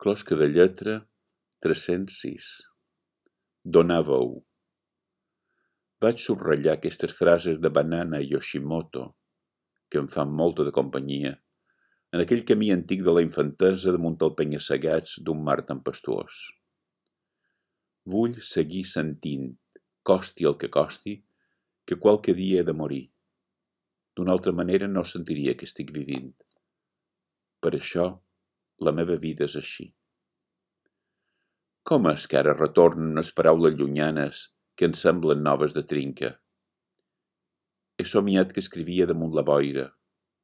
Closca de lletra 306. Donar veu. Vaig subratllar aquestes frases de Banana i Yoshimoto, que em fan molta de companyia, en aquell camí antic de la infantesa damunt el penya-segats d'un mar tempestuós. Vull seguir sentint, costi el que costi, que qualque dia he de morir. D'una altra manera no sentiria que estic vivint. Per això, la meva vida és així. Com és que ara retornen unes paraules llunyanes que em semblen noves de trinca? He somiat que escrivia damunt la boira,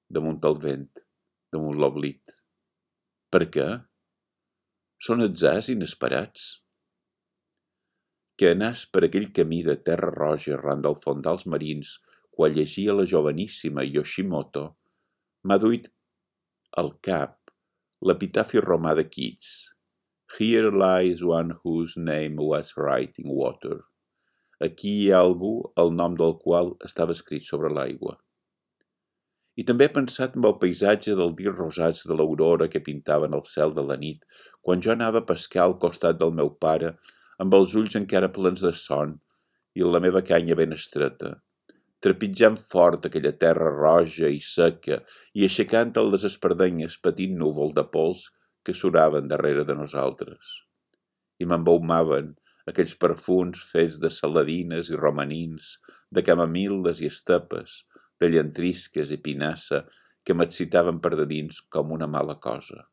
damunt el vent, damunt l'oblit. Per què? Són atzars inesperats? Que anàs per aquell camí de terra roja arran dels fondals marins quan llegia la joveníssima Yoshimoto, m'ha duit al cap l'epitafi romà de Keats. Here lies one whose name was written in water. Aquí hi ha algú el nom del qual estava escrit sobre l'aigua. I també he pensat en el paisatge dels dies rosats de l'aurora que pintaven el cel de la nit, quan jo anava a pescar al costat del meu pare, amb els ulls encara plens de son i la meva canya ben estreta, trepitjant fort aquella terra roja i seca i aixecant les espardenyes petit núvol de pols que suraven darrere de nosaltres. I m'embaumaven aquells perfums fets de saladines i romanins, de camamil·les i estepes, de llantrisques i pinassa que m'excitaven per de dins com una mala cosa.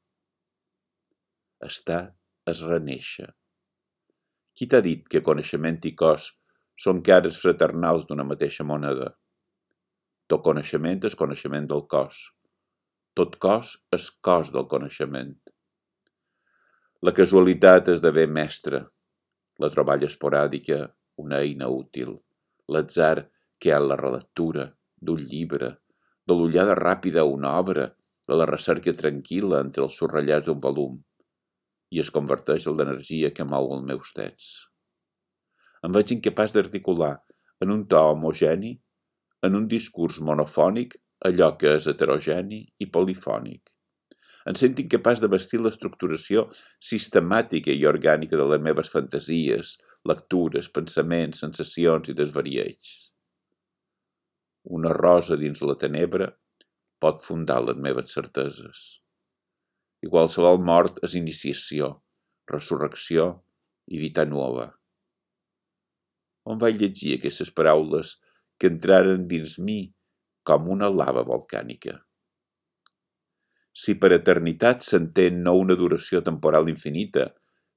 Estar és renéixer. Qui t'ha dit que coneixement i cos són cares fraternals d'una mateixa moneda? Tot coneixement és coneixement del cos. Tot cos és cos del coneixement. La casualitat esdevé mestra, la troballa esporàdica una eina útil, l'atzar que hi ha en la relectura d'un llibre, de l'ullada ràpida a una obra, de la recerca tranquil·la entre els subratllats d'un volum, i es converteix en l'energia que mou els meus tests. Em veig incapaç d'articular en un to homogeni, en un discurs monofònic, allò que és heterogeni i polifònic. Em sento incapaç de vestir l'estructuració sistemàtica i orgànica de les meves fantasies, lectures, pensaments, sensacions i desvarieig. Una rosa dins la tenebra pot fundar les meves certeses. I qualsevol mort és iniciació, resurrecció i vita nova. On vaig llegir aquestes paraules que entraren dins mi com una lava volcànica? Si per eternitat s'entén no una duració temporal infinita,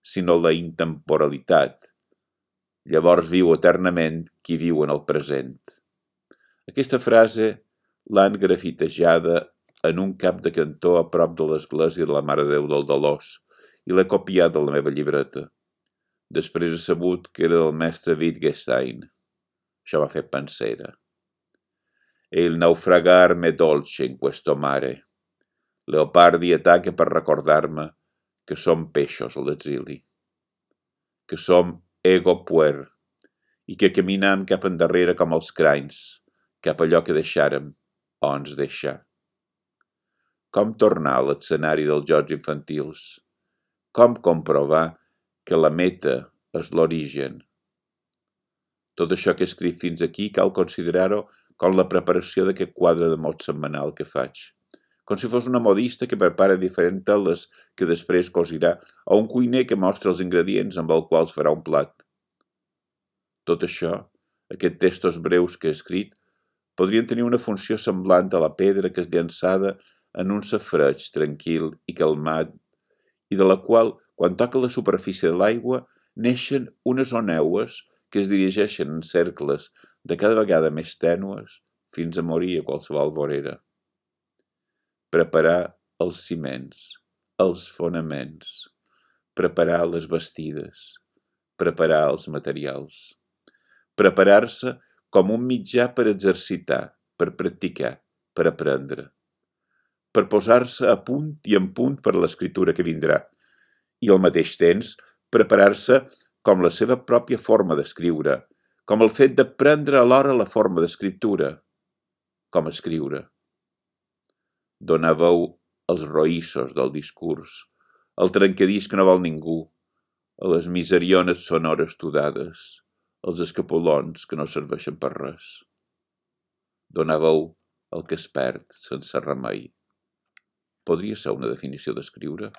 sinó la intemporalitat, llavors viu eternament qui viu en el present. Aquesta frase l'han grafitejada en un cap de cantó a prop de l'església de la Mare de Déu del Dolors i l'he copiat de la meva llibreta. Després he sabut que era del mestre Wittgenstein. Això m'ha fet pensera. E il naufragar m'è dolce in questo mare. Leopardi ataca per recordar-me que som peixos a l'exili, que som ego puer i que caminam cap endarrere com els cranys, cap allò que deixàrem o ens deixà. Com tornar a l'escenari dels jocs infantils? Com comprovar que la meta és l'origen? Tot això que he escrit fins aquí cal considerar-ho com la preparació d'aquest quadre de mot setmanal que faig. Com si fos una modista que prepara diferents teles que després cosirà o un cuiner que mostra els ingredients amb els quals farà un plat. Tot això, aquests textos breus que he escrit, podrien tenir una funció semblant a la pedra que és llançada en un safareig tranquil i calmat i de la qual, quan toca la superfície de l'aigua, neixen unes oneues que es dirigeixen en cercles de cada vegada més tènues fins a morir a qualsevol vorera. Preparar els ciments, els fonaments, preparar les bastides, preparar els materials, preparar-se com un mitjà per exercitar, per practicar, per aprendre, per posar-se a punt i en punt per l'escriptura que vindrà, i al mateix temps preparar-se com la seva pròpia forma d'escriure, com el fet de prendre alhora la forma d'escriptura, com escriure. Donar veu als roïssos del discurs, el trencadís que no vol ningú, a les miseriones sonores tudades, als escapolons que no serveixen per res. Donar veu al que es perd sense remei. Podria ser una definició d'escriure?